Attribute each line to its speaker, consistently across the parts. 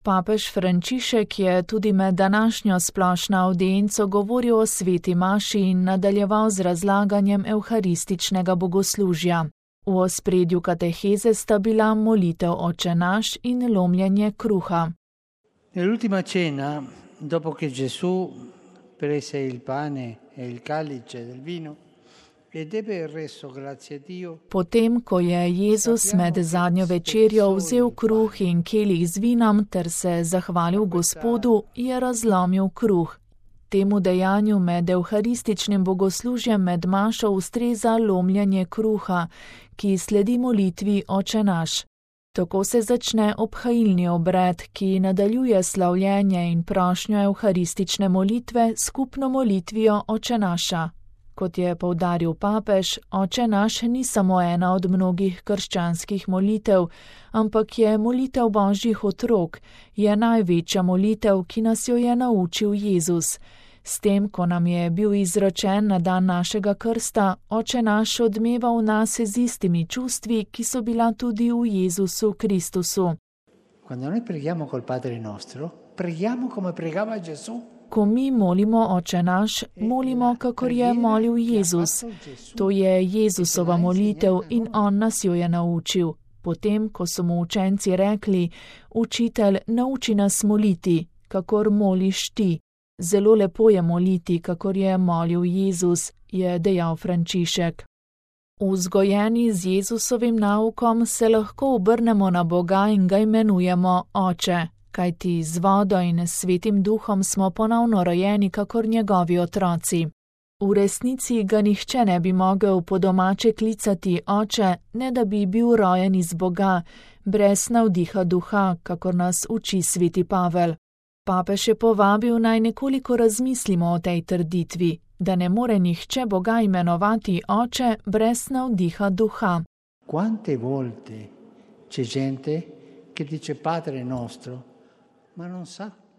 Speaker 1: Papež Frančišek je tudi med današnjo splošno avdienco govoril o sveti maši in nadaljeval z razlaganjem evharističnega bogoslužja. V ospredju kateheze sta bila molitev Oče naš in lomljenje kruha.
Speaker 2: Nell'ultima cena, dopo che Gesù prese il pane e il calice del vino,
Speaker 1: Potem, ko je Jezus med zadnjo večerjo vzel kruh in kelih z vinom ter se zahvalil Gospodu, je razlomil kruh. Temu dejanju med evharističnim bogoslužjem med mašo ustreza lomljenje kruha, ki sledi molitvi Oče naš. Tako se začne obhajilni obred, ki nadaljuje slavljenje in prošnjo evharistične molitve skupno molitvijo Oče naša. Kot je poudaril papež, Oče naš ni samo ena od mnogih krščanskih molitev, ampak je molitev Božjih otrok, je največja molitev, ki nas jo je naučil Jezus. S tem, ko nam je bil izročen na dan našega krsta, Oče naš odmeva v nas z istimi čustvi, ki so bila tudi v Jezusu Kristusu.
Speaker 2: Quando noi preghiamo col Padre nostro, preghiamo come pregava Gesù.
Speaker 1: Ko mi molimo Oče naš, molimo, kakor je molil Jezus. To je Jezusova molitev in on nas jo je naučil. Potem, ko so mu učenci rekli, učitelj, nauči nas moliti, kakor moliš ti. Zelo lepo je moliti, kakor je molil Jezus, je dejal Frančišek. Vzgojeni z Jezusovim naukom se lahko obrnemo na Boga in ga imenujemo Oče. Kajti z vodo in svetim duhom smo ponovno rojeni kakor njegovi otroci. V resnici ga nihče ne bi mogel po domače klicati Oče, ne da bi bil rojen iz Boga, brez navdiha duha, kakor nas uči sveti Pavel. Papež je povabil naj nekoliko razmislimo o tej trditvi, da ne more nihče Boga imenovati Oče brez navdiha duha.
Speaker 2: Quante volte c'è gente che dice Padre nostro?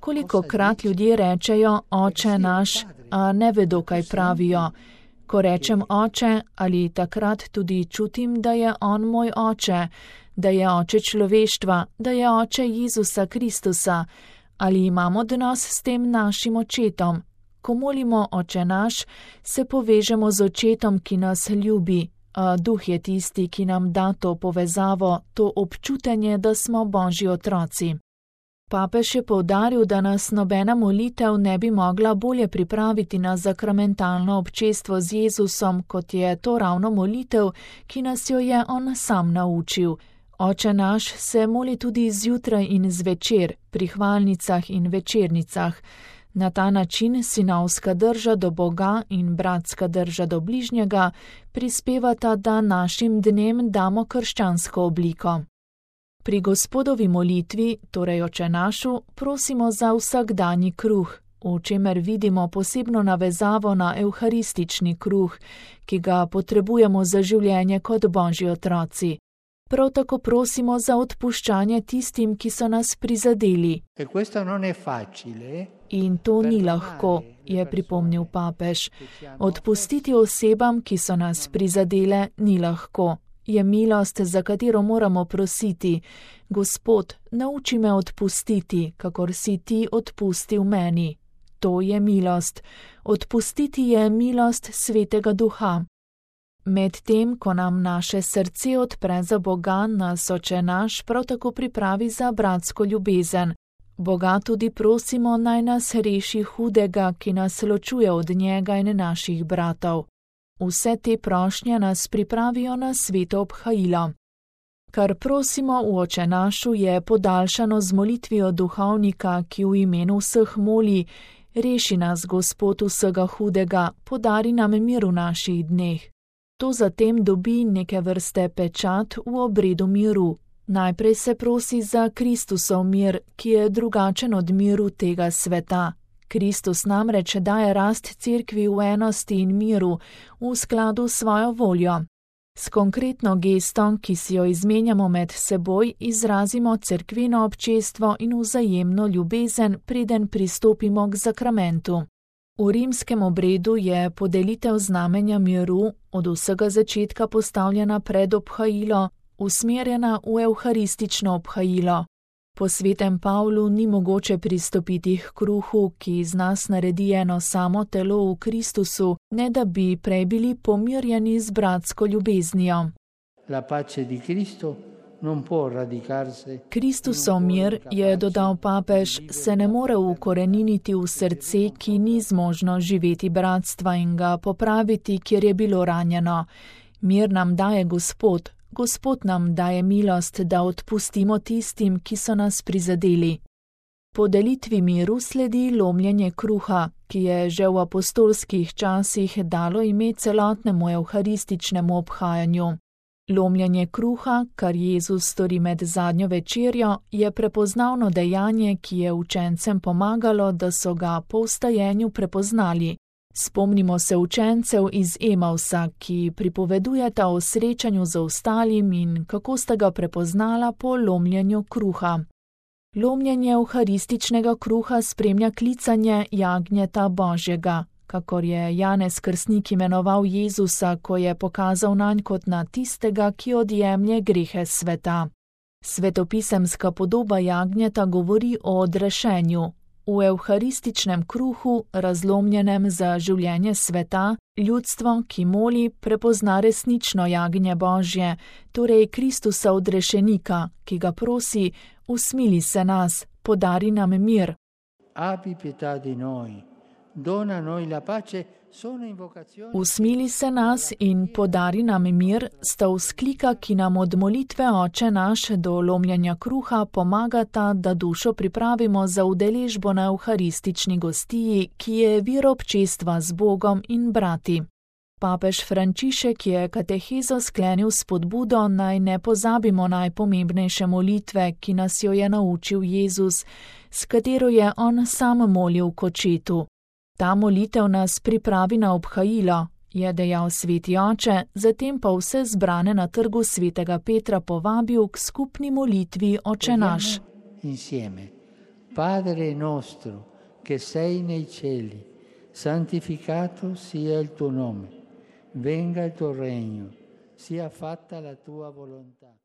Speaker 1: Kolikokrat ljudje rečejo Oče naš, a ne vedo, kaj pravijo. Ko rečem Oče, ali takrat tudi čutim, da je on moj Oče, da je Oče človeštva, da je Oče Jezusa Kristusa, ali imam odnos s tem našim očetom. Ko molimo Oče naš, se povežemo z očetom, ki nas ljubi, a duh je tisti, ki nam da to povezavo, to občutenje, da smo Božji otroci. Papež je poudaril, da nas nobena molitev ne bi mogla bolje pripraviti na zakramentalno občestvo z Jezusom, kot je to ravno molitev, ki nas jo je on sam naučil. Oče naš se moli tudi zjutraj in zvečer, pri hvalnicah in večernicah. Na ta način sinovska drža do Boga in bratska drža do bližnjega prispevata, da našim dnem damo krščansko obliko. Pri Gospodovi molitvi, torej Oče našu, prosimo za vsakdanji kruh, v čemer vidimo posebno navezavo na evharistični kruh, ki ga potrebujemo za življenje kot Božji otroci. Prav tako prosimo za odpuščanje tistim, ki so nas prizadeli. In to ni lahko, je pripomnil papež. Odpustiti osebam, ki so nas prizadele, ni lahko. Je milost, za katero moramo prositi. Gospod, nauči me odpustiti, kakor si ti odpustil meni. To je milost. Odpustiti je milost Svetega Duha. Medtem, ko nam naše srce odpre za Boga, nas Oče naš prav tako pripravi za bratsko ljubezen. Boga tudi prosimo, naj nas reši hudega, ki nas ločuje od njega in naših bratov. Vse te prošnje nas pripravijo na sveto obhajilo. Kar prosimo v Oče našu je podaljšano z molitvijo duhovnika, ki v imenu vseh moli, reši nas, Gospod, vsega hudega, podari nam mir v naših dneh. To zatem dobi neke vrste pečat v obredu miru. Najprej se prosi za Kristusov mir, ki je drugačen od miru tega sveta. Kristus namreč daje rast cerkvi v enosti in miru, v skladu s svojo voljo. S konkretno gestom, ki si jo izmenjamo med seboj, izrazimo cerkveno občestvo in vzajemno ljubezen, preden pristopimo k zakramentu. V rimskem obredu je podelitev znamenja miru od vsega začetka postavljena pred obhajilo, usmerjena v evharistično obhajilo. Po svetem Pavlu ni mogoče pristopiti k kruhu, ki iz nas naredi eno samo telo v Kristusu, ne da bi prej bili pomirjeni z bratsko ljubeznijo.
Speaker 2: La pace di Cristo non può radicarsi.
Speaker 1: Kristusov mir, je dodal papež, se ne more ukoreniniti v srce, ki ni zmožno živeti bratstva in ga popraviti, kjer je bilo ranjeno. Mir nam daje Gospod. Gospod nam daje milost, da odpustimo tistim, ki so nas prizadeli. Po delitvi miru sledi lomljenje kruha, ki je že v apostolskih časih dalo ime celotnemu evharističnemu obhajanju. Lomljenje kruha, kar Jezus stori med zadnjo večerjo, je prepoznavno dejanje, ki je učencem pomagalo, da so ga po vstajenju prepoznali. Spomnimo se učencev iz Emausa, ki pripovedujeta o srečanju z ostalim in kako sta ga prepoznala po lomljenju kruha. Lomljenje evharističnega kruha spremlja klicanje jagnjeta Božjega, kakor je Janez Krstnik imenoval Jezusa, ko je pokazal nanj kot na tistega, ki odjemlje grehe sveta. Svetopisemska podoba jagnjeta govori o odrešenju. V evharističnem kruhu, razlomljenem za življenje sveta, ljudstvo, ki moli, prepozna resnično jagnje Božje, torej Kristusa odrešenika, ki ga prosi: usmili se nas, podari nam mir.
Speaker 2: Abbi pietà di noi, dona noi la pace.
Speaker 1: Usmili se nas in podari nam mir sta vzklika, ki nam od molitve Oče naš do lomljenja kruha pomagata, da dušo pripravimo za udeležbo na evharistični gostiji, ki je vir občestva z Bogom in brati. Papež Frančišek je katehezo sklenil s spodbudo, naj ne pozabimo najpomembnejše molitve, ki nas jo je naučil Jezus, s katero je on sam molil k Očetu. Ta molitev nas pripravi na obhajilo, je dejal sveti oče, zatem pa vse zbrane na trgu svetega Petra povabil k skupni molitvi Oče naš.
Speaker 2: Insieme. Padre nostro, che sei nei cieli, santificato sia il tuo nome, venga il tuo regno, sia fatta la tua volontà.